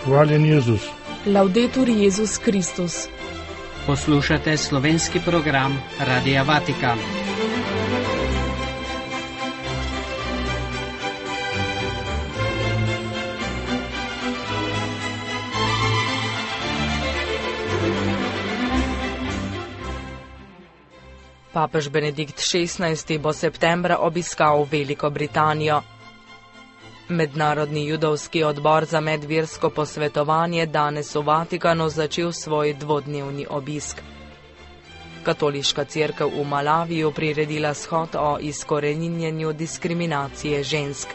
Hvaljen Jezus. Laudetur Jezus Kristus. Poslušate slovenski program Radia Vatikan. Papež Benedikt XVI bo septembra obiskal Veliko Britanijo. Mednarodni judovski odbor za medversko posvetovanje danes v Vatikanu začel svoj dvodnevni obisk. Katoliška cerkev v Malaviju priredila shod o izkoreninjenju diskriminacije žensk.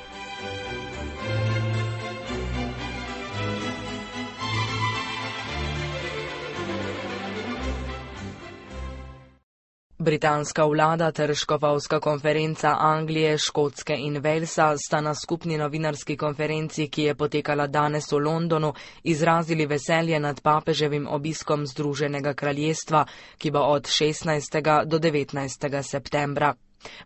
Britanska vlada ter škofovska konferenca Anglije, Škotske in Walesa sta na skupni novinarski konferenci, ki je potekala danes v Londonu, izrazili veselje nad papeževim obiskom Združenega kraljestva, ki bo od 16. do 19. septembra.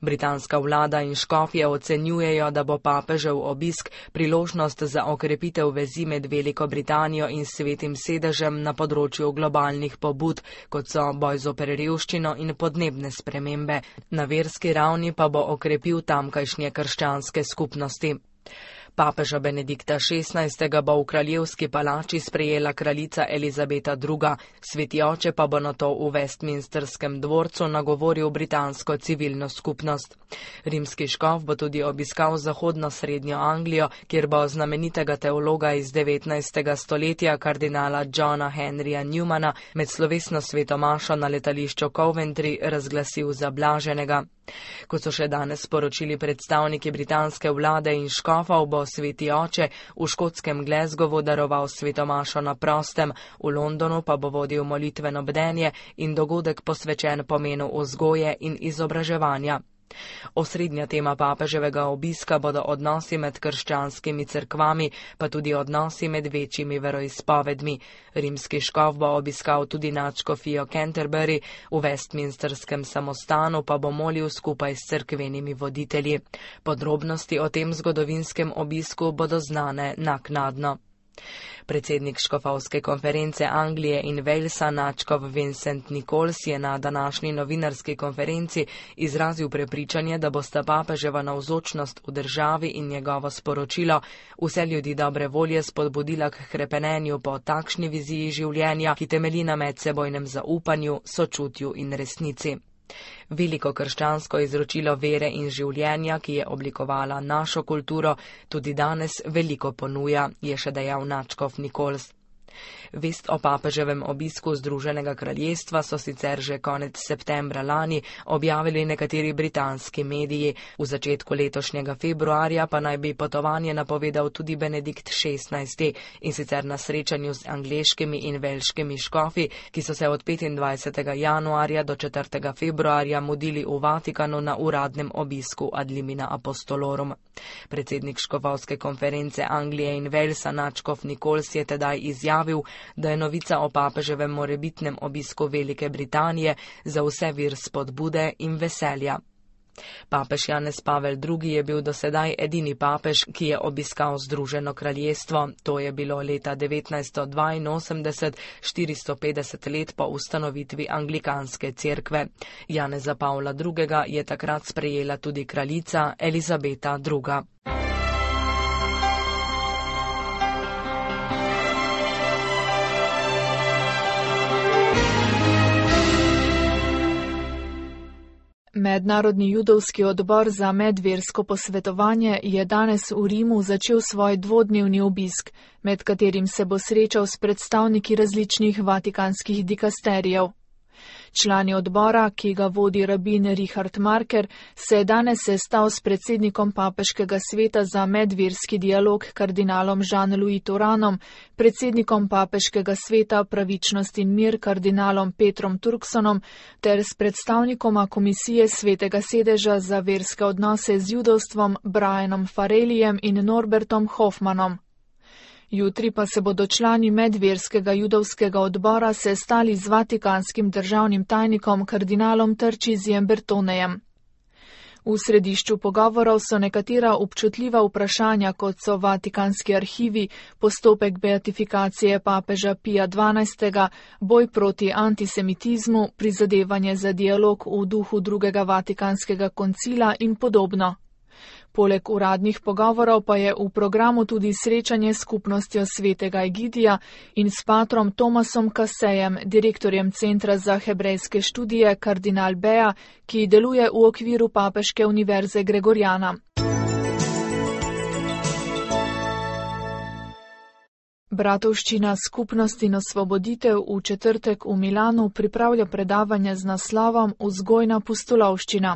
Britanska vlada in škofje ocenjujejo, da bo papežev obisk priložnost za okrepitev vezi med Veliko Britanijo in Svetim sedežem na področju globalnih pobud, kot so boj zoper revščino in podnebne spremembe. Na verski ravni pa bo okrepil tamkajšnje krščanske skupnosti. Papeža Benedikta XVI. Bo v kraljevski palači sprejela kraljica Elizabeta II., sveti oče pa bo nato v Westminsterskem dvorcu nagovoril britansko civilno skupnost. Rimski škof bo tudi obiskal zahodno-srednjo Anglijo, kjer bo znamenitega teologa iz 19. stoletja kardinala Johna Henryja Newmana med slovesno svetomašo na letališču Coventry razglasil za blaženega. Kot so še danes sporočili predstavniki britanske vlade in škofov, bo sveti oče v škotskem Glasgowu daroval svetomašo na prostem, v Londonu pa bo vodil molitveno bdenje in dogodek posvečen pomenu vzgoje in izobraževanja. Osrednja tema papeževega obiska bodo odnosi med krščanskimi cerkvami, pa tudi odnosi med večjimi veroizpovedmi. Rimski škof bo obiskal tudi nadškofijo Canterbury, v Westminsterskem samostanu pa bo molil skupaj s cerkvenimi voditelji. Podrobnosti o tem zgodovinskem obisku bodo znane naknadno. Predsednik škofovske konference Anglije in Walesa, nadškof Vincent Nichols, je na današnji novinarski konferenci izrazil prepričanje, da bosta papeževa navzočnost v državi in njegovo sporočilo vse ljudi dobre volje spodbudila k hrepenenju po takšni viziji življenja, ki temelji na medsebojnem zaupanju, sočutju in resnici. Veliko krščansko izročilo vere in življenja, ki je oblikovala našo kulturo, tudi danes veliko ponuja, je še dejal nadškof Nichols. Vest o papeževem obisku Združenega kraljestva so sicer že konec septembra lani objavili nekateri britanski mediji. V začetku letošnjega februarja pa naj bi potovanje napovedal tudi Benedikt XVI. In sicer na srečanju z angleškimi in velškimi škofi, ki so se od 25. januarja do 4. februarja mudili v Vatikanu na uradnem obisku ad limina apostolorum. Predsednik škofovske konference Anglije in Walesa, nadškof Nichols, je tedaj izjavil, da je novica o papeževem morebitnem obisku Velike Britanije za vse vir spodbude in veselja. Papež Janez Pavel II. Je bil dosedaj edini papež, ki je obiskal Združeno kraljestvo. To je bilo leta 1982, 450 let po ustanovitvi anglikanske cerkve. Janeza Pavla II. Je takrat sprejela tudi kraljica Elizabeta II. Mednarodni judovski odbor za medversko posvetovanje je danes v Rimu začel svoj dvodnevni obisk, med katerim se bo srečal s predstavniki različnih vatikanskih dikasterijev. Člani odbora, ki ga vodi rabin Richard Marker, se je danes sestal s predsednikom Papeškega sveta za medverski dialog kardinalom Jean-Louis Touranom, predsednikom Papeškega sveta Pravičnost in mir kardinalom Petrom Turksonom ter s predstavnikoma Komisije Svetega sedeža za verske odnose z judovstvom Brianom Farrellyjem in Norbertom Hoffmanom. Jutri pa se bodo člani medverskega judovskega odbora sestali z vatikanskim državnim tajnikom kardinalom Tarcisijem Bertonejem. V središču pogovorov so nekatera občutljiva vprašanja, kot so vatikanski arhivi, postopek beatifikacije papeža Pija XII, boj proti antisemitizmu, prizadevanje za dialog v duhu drugega vatikanskega koncila in podobno. Poleg uradnih pogovorov pa je v programu tudi srečanje s skupnostjo svetega Egidija in s patrom Tomasom Kasejem, direktorjem Centra za hebrejske študije Kardinal Bea, ki deluje v okviru Papeške univerze Gregoriana. Bratovščina Skupnost in osvoboditev v četrtek v Milanu pripravlja predavanje z naslovom Vzgojna pustolovščina.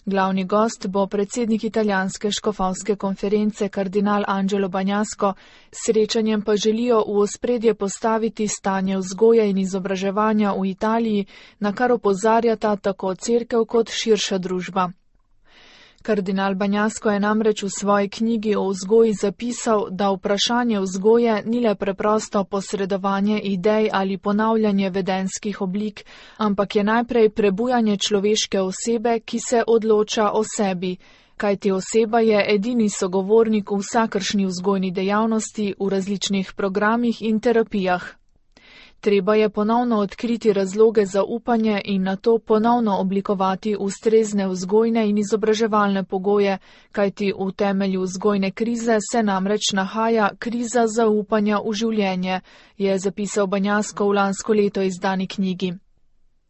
Glavni gost bo predsednik italijanske škofovske konference kardinal Angelo Bagnasco, srečanjem pa želijo v ospredje postaviti stanje vzgoje in izobraževanja v Italiji, na kar opozarjata tako cerkev kot širša družba. Kardinal Bagnasco je namreč v svoji knjigi o vzgoji zapisal, da vprašanje vzgoje ni le preprosto posredovanje idej ali ponavljanje vedenskih oblik, ampak je najprej prebujanje človeške osebe, ki se odloča o sebi, kajti oseba je edini sogovornik v vsakršni vzgojni dejavnosti v različnih programih in terapijah. Treba je ponovno odkriti razloge za upanje in nato ponovno oblikovati ustrezne vzgojne in izobraževalne pogoje, kajti v temelju vzgojne krize se namreč nahaja kriza zaupanja v življenje, je zapisal Bagnasco v lansko leto izdani knjigi.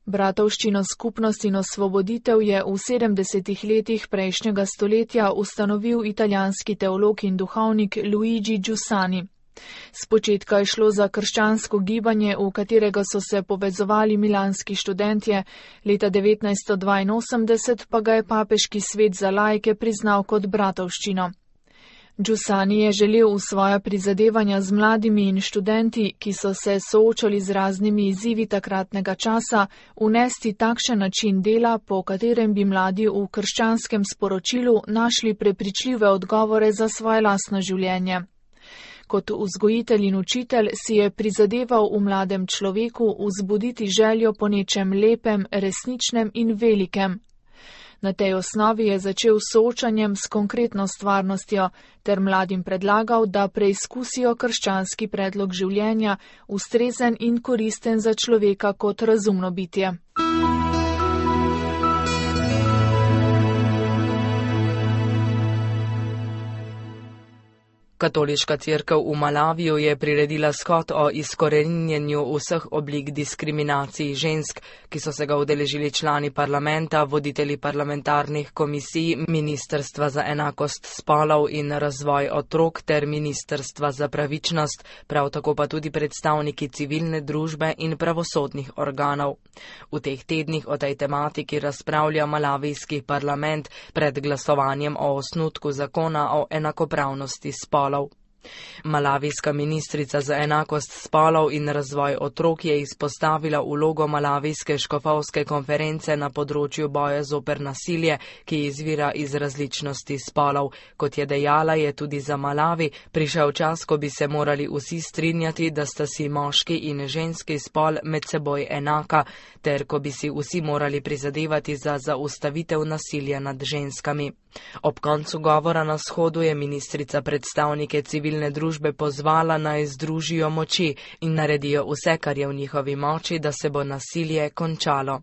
Bratovščino Skupnost in osvoboditev je v 70. letih prejšnjega stoletja ustanovil italijanski teolog in duhovnik Luigi Giussani. Spočetka je šlo za krščansko gibanje, v katerega so se povezovali milanski študentje, leta 1982 pa ga je papeški svet za laike priznal kot bratovščino. Giussani je želel v svoja prizadevanja z mladimi in študenti, ki so se soočali z raznimi izzivi takratnega časa, unesti takšen način dela, po katerem bi mladi v krščanskem sporočilu našli prepričljive odgovore za svoje lastno življenje. Kot vzgojitelj in učitelj si je prizadeval v mladem človeku vzbuditi željo po nečem lepem, resničnem in velikem. Na tej osnovi je začel s soočanjem s konkretno stvarnostjo ter mladim predlagal, da preizkusijo krščanski predlog življenja, ustrezen in koristen za človeka kot razumno bitje. Katoliška cerkev v Malaviju je priredila shod o izkoreninjenju vseh oblik diskriminacij žensk, ki so se ga udeležili člani parlamenta, voditelji parlamentarnih komisij, Ministrstva za enakost spolov in razvoj otrok ter Ministrstva za pravičnost, prav tako pa tudi predstavniki civilne družbe in pravosodnih organov. V teh tednih o tej tematiki razpravlja malavijski parlament pred glasovanjem o osnutku zakona o enakopravnosti spolov. Malavijska ministrica za enakost spolov in razvoj otrok je izpostavila vlogo Malavijske škofovske konference na področju boja zoper nasilje, ki izvira iz različnosti spolov. Kot je dejala, je tudi za Malavi prišel čas, ko bi se morali vsi strinjati, da sta si moški in ženski spol med seboj enaka, ter ko bi si vsi morali prizadevati za zaustavitev nasilja nad ženskami. Ob koncu govora na shodu je ministrica predstavnike civilne družbe pozvala, naj združijo moči in naredijo vse, kar je v njihovi moči, da se bo nasilje končalo.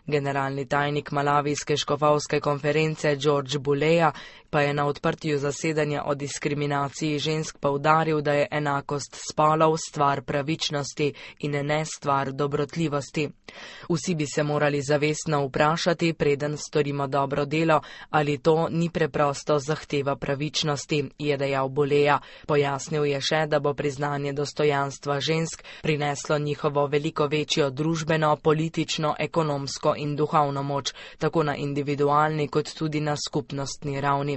Generalni tajnik Malavijske škofovske konference George Buleja pa je na odprtju zasedanja o diskriminaciji žensk poudaril, da je enakost spolov stvar pravičnosti in ne stvar dobrotljivosti. Vsi bi se morali zavestno vprašati, preden storimo dobro delo, ali to ni preprosto zahteva pravičnosti, je dejal Buleja. Pojasnil je še, da bo priznanje dostojanstva žensk prineslo njihovo veliko večjo družbeno, politično, ekonomsko in duhovno moč, tako na individualni kot tudi na skupnostni ravni.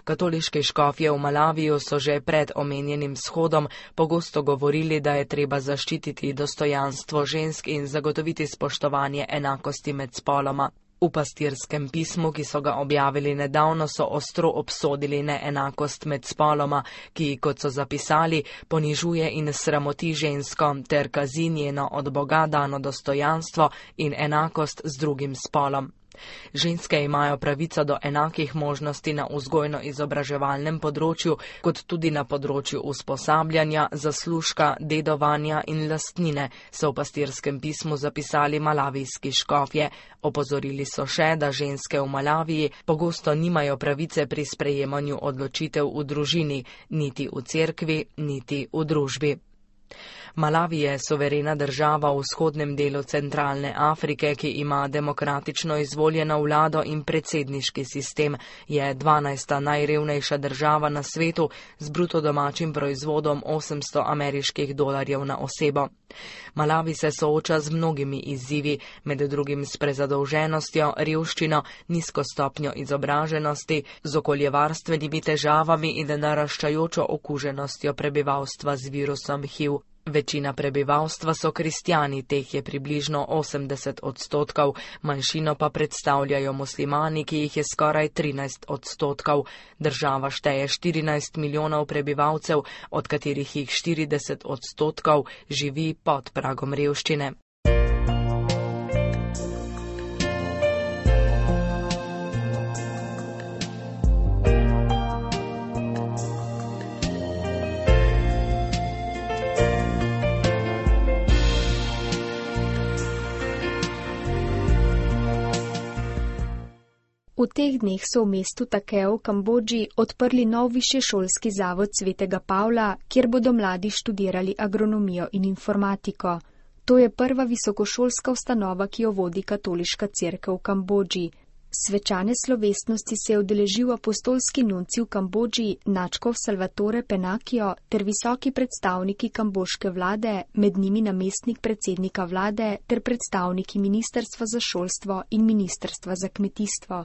Katoliški škofje v Malaviju so že pred omenjenim shodom pogosto govorili, da je treba zaščititi dostojanstvo žensk in zagotoviti spoštovanje enakosti med spoloma. V pastirskem pismu, ki so ga objavili nedavno, so ostro obsodili neenakost med spoloma, ki, kot so zapisali, ponižuje in sramoti žensko ter kazi njeno od Boga dano dostojanstvo in enakost z drugim spolom. Ženske imajo pravico do enakih možnosti na vzgojno-izobraževalnem področju, kot tudi na področju usposabljanja, zaslužka, dedovanja in lastnine, so v pastirskem pismu zapisali malavijski škofje. Opozorili so še, da ženske v Malaviji pogosto nimajo pravice pri sprejemanju odločitev v družini, niti v cerkvi, niti v družbi. Malavi je suverena država v vzhodnem delu centralne Afrike, ki ima demokratično izvoljeno vlado in predsedniški sistem. Je 12. najrevnejša država na svetu z bruto domačim proizvodom $800 na osebo. Malavi se sooča z mnogimi izzivi, med drugim s prezadolženostjo, revščino, nizko stopnjo izobraženosti, z okoljevarstvenimi težavami in naraščajočo okuženostjo prebivalstva z virusom HIV. Večina prebivalstva so kristjani, teh je približno 80%, manjšino pa predstavljajo muslimani, ki jih je skoraj 13%. Država šteje 14 milijonov prebivalcev, od katerih jih 40% živi pod pragom revščine. V teh dneh so v mestu Takeo v Kambodži odprli nov višješolski zavod Svetega Pavla, kjer bodo mladi študirali agronomijo in informatiko. To je prva visokošolska ustanova, ki jo vodi katoliška cerkev v Kambodži. Svečane slovesnosti se je udeležil apostolski nunci v Kambodži nadškof Salvatore Penakio ter visoki predstavniki kambožke vlade, med njimi namestnik predsednika vlade ter predstavniki Ministrstva za šolstvo in Ministrstva za kmetijstvo.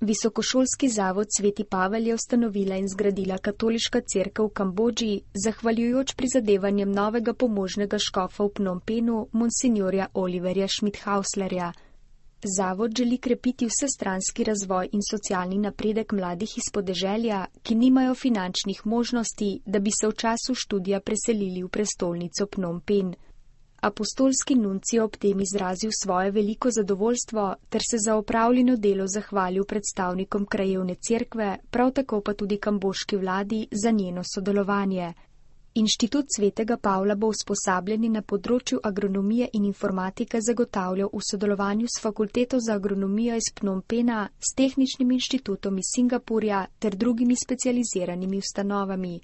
Visokošolski zavod Sveti Pavel je ustanovila in zgradila katoliška cerkev v Kambodži, zahvaljujoč prizadevanjem novega pomožnega škofa v Phnom Penhu, monsinjorja Oliverja Schmidhauslerja. Zavod želi krepiti vsestranski razvoj in socialni napredek mladih iz podeželja, ki nimajo finančnih možnosti, da bi se v času študija preselili v prestolnico Phnom Penh. Apostolski nunci je ob tem izrazil svoje veliko zadovoljstvo ter se za opravljeno delo zahvalil predstavnikom krajevne cerkve, prav tako pa tudi kambožki vladi za njeno sodelovanje. Inštitut Svetega Pavla bo usposabljanje na področju agronomije in informatike zagotavljal v sodelovanju s Fakulteto za agronomijo iz Phnom Penha, s Tehničnim inštitutom iz Singapurja ter drugimi specializiranimi ustanovami.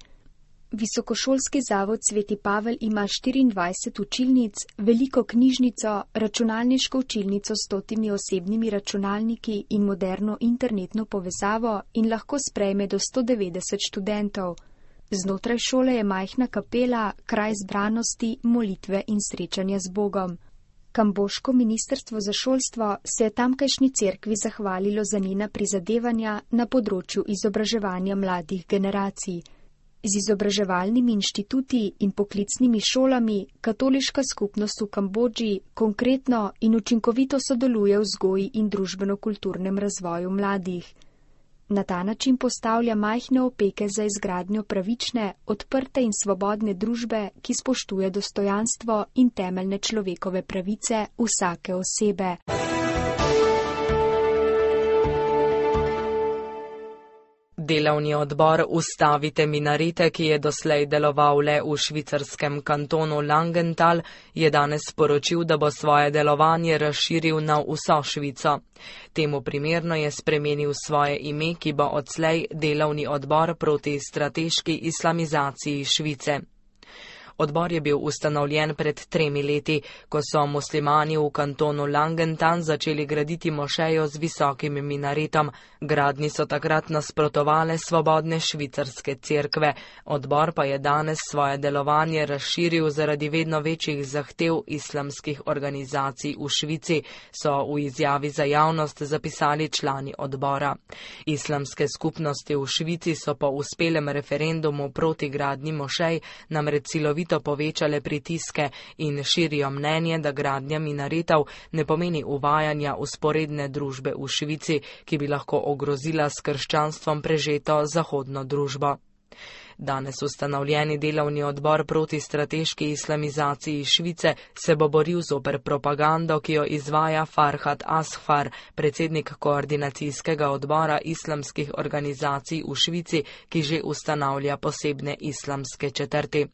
Visokošolski zavod Sveti Pavel ima 24 učilnic, veliko knjižnico, računalniško učilnico s 100 osebnimi računalniki in moderno internetno povezavo in lahko sprejme do 190 študentov. Znotraj šole je majhna kapela, kraj zbranosti, molitve in srečanja z Bogom. Kambožko ministrstvo za šolstvo se je tamkajšnji cerkvi zahvalilo za njena prizadevanja na področju izobraževanja mladih generacij. Z izobraževalnimi inštituti in poklicnimi šolami katoliška skupnost v Kambodži konkretno in učinkovito sodeluje v vzgoji in družbeno-kulturnem razvoju mladih. Na ta način postavlja majhne opeke za izgradnjo pravične, odprte in svobodne družbe, ki spoštuje dostojanstvo in temeljne človekove pravice vsake osebe. Delovni odbor Ustavite minarete, ki je doslej deloval le v švicarskem kantonu Langenthal, je danes sporočil, da bo svoje delovanje razširil na vso Švico. Temu primerno je spremenil svoje ime, ki bo odslej Delovni odbor proti strateški islamizaciji Švice. Odbor je bil ustanovljen pred 3 leti, ko so muslimani v kantonu Langenthal začeli graditi mošejo z visokim minaretom. Gradnji so takrat nasprotovale svobodne švicarske cerkve. Odbor pa je danes svoje delovanje razširil zaradi vedno večjih zahtev islamskih organizacij v Švici, so v izjavi za javnost zapisali člani odbora. Islamske skupnosti v Švici so po uspelem referendumu proti gradnji mošej namreč silovito povečale pritiske in širijo mnenje, da gradnja minaretov ne pomeni uvajanja vzporedne družbe v Švici, ki bi lahko ogrozila s krščanstvom prežeto zahodno družbo. Danes ustanovljeni delovni odbor proti strateški islamizaciji Švice se bo boril zoper propagando, ki jo izvaja Farhad Asghar, predsednik koordinacijskega odbora islamskih organizacij v Švici, ki že ustanavlja posebne islamske četrti.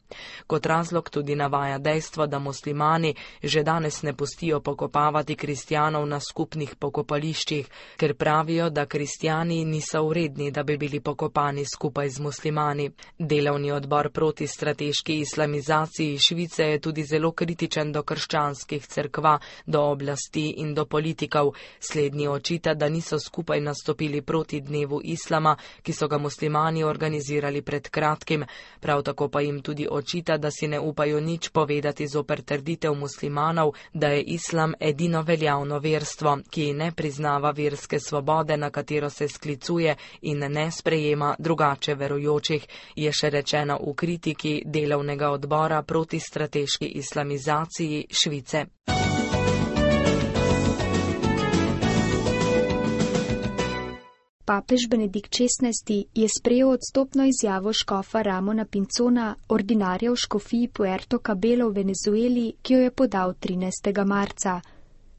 Kot razlog tudi navaja dejstvo, da muslimani že danes ne pustijo pokopavati kristjanov na skupnih pokopališčih, ker pravijo, da kristjani niso vredni, da bi bili pokopani skupaj z muslimani. Delovni odbor proti strateški islamizaciji Švice je tudi zelo kritičen do krščanskih cerkva, do oblasti in do politikov. Slednji očita, da niso skupaj nastopili proti dnevu islama, ki so ga muslimani organizirali pred kratkim. Prav tako pa jim tudi očita, da si ne upajo nič povedati zoper trditev muslimanov, da je islam edino veljavno verstvo, ki ne priznava verske svobode, na katero se sklicuje in ne sprejema drugače verujočih, je še rečeno v kritiki delovnega odbora proti strateški islamizaciji Švice. Papež Benedikt XVI je sprejel odstopno izjavo škofa Ramona Pinzona, ordinarja v škofiji Puerto Cabello v Venezueli, ki jo je podal 13. marca.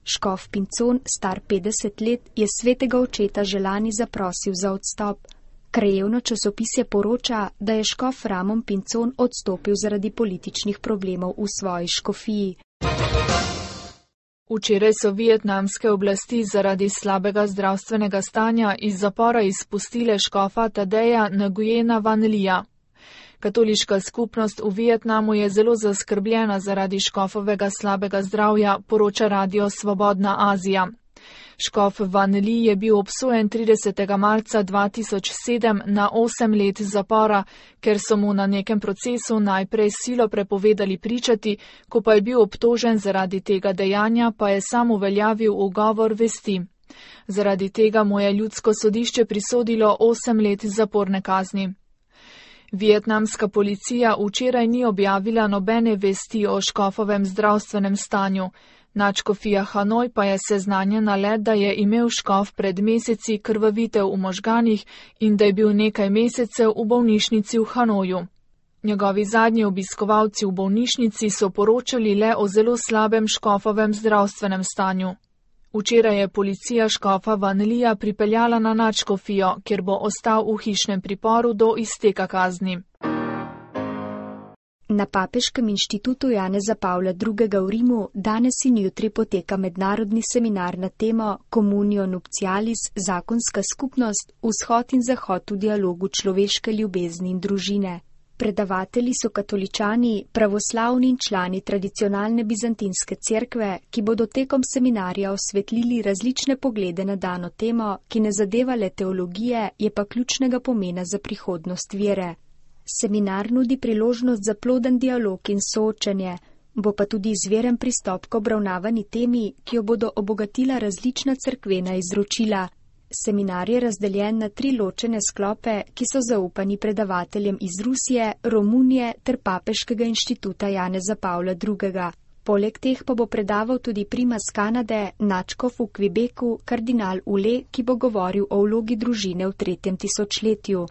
Škof Pinzon, star 50 let, je svetega očeta že lani zaprosil za odstop. Krajevno časopisje poroča, da je škof Ramon Pinzon odstopil zaradi političnih problemov v svoji škofiji. Včeraj so vietnamske oblasti zaradi slabega zdravstvenega stanja iz zapora izpustile škofa Tadeja Nguyena Van Lija. Katoliška skupnost v Vietnamu je zelo zaskrbljena zaradi škofovega slabega zdravja, poroča Radio Svobodna Azija. Škof Van Li je bil obsojen 30. marca 2007 na 8 let zapora, ker so mu na nekem procesu najprej silo prepovedali pričati, ko pa je bil obtožen zaradi tega dejanja, pa je sam uveljavil ugovor vesti. Zaradi tega mu je ljudsko sodišče prisodilo 8 let zaporne kazni. Vietnamska policija včeraj ni objavila nobene vesti o škofovem zdravstvenem stanju. Nadškofija Hanoj pa je seznanjena le, da je imel škof pred meseci krvavitev v možganih in da je bil nekaj mesecev v bolnišnici v Hanoju. Njegovi zadnji obiskovalci v bolnišnici so poročali le o zelo slabem škofovem zdravstvenem stanju. Včeraj je policija škofa Van Lija pripeljala na nadškofijo, kjer bo ostal v hišnem priporu do izteka kazni. Na Papeškem inštitutu Janeza Pavla II. V Rimu danes in jutri poteka mednarodni seminar na temo Communio Nuptialis, zakonska skupnost, vzhod in zahod v dialogu človeške ljubezni in družine. Predavatelji so katoličani, pravoslavni in člani tradicionalne bizantinske cerkve, ki bodo tekom seminarja osvetlili različne poglede na dano temo, ki ne zadeva le teologije, je pa ključnega pomena za prihodnost vere. Seminar nudi priložnost za ploden dialog in soočenje, bo pa tudi izveren pristop k obravnavani temi, ki jo bodo obogatila različna cerkvena izročila. Seminar je razdeljen na 3 ločene sklope, ki so zaupani predavateljem iz Rusije, Romunije ter Papeškega inštituta Janeza Pavla II. Poleg teh pa bo predaval tudi primas Kanade, nadškof v Quebecu, kardinal Ule, ki bo govoril o vlogi družine v 3. tisočletju.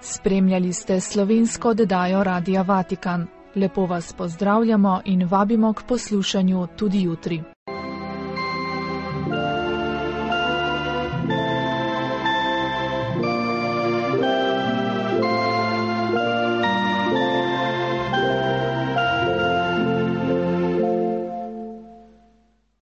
Spremljali ste slovensko oddajo Radia Vatikan. Lepo vas pozdravljamo in vabimo k poslušanju tudi jutri.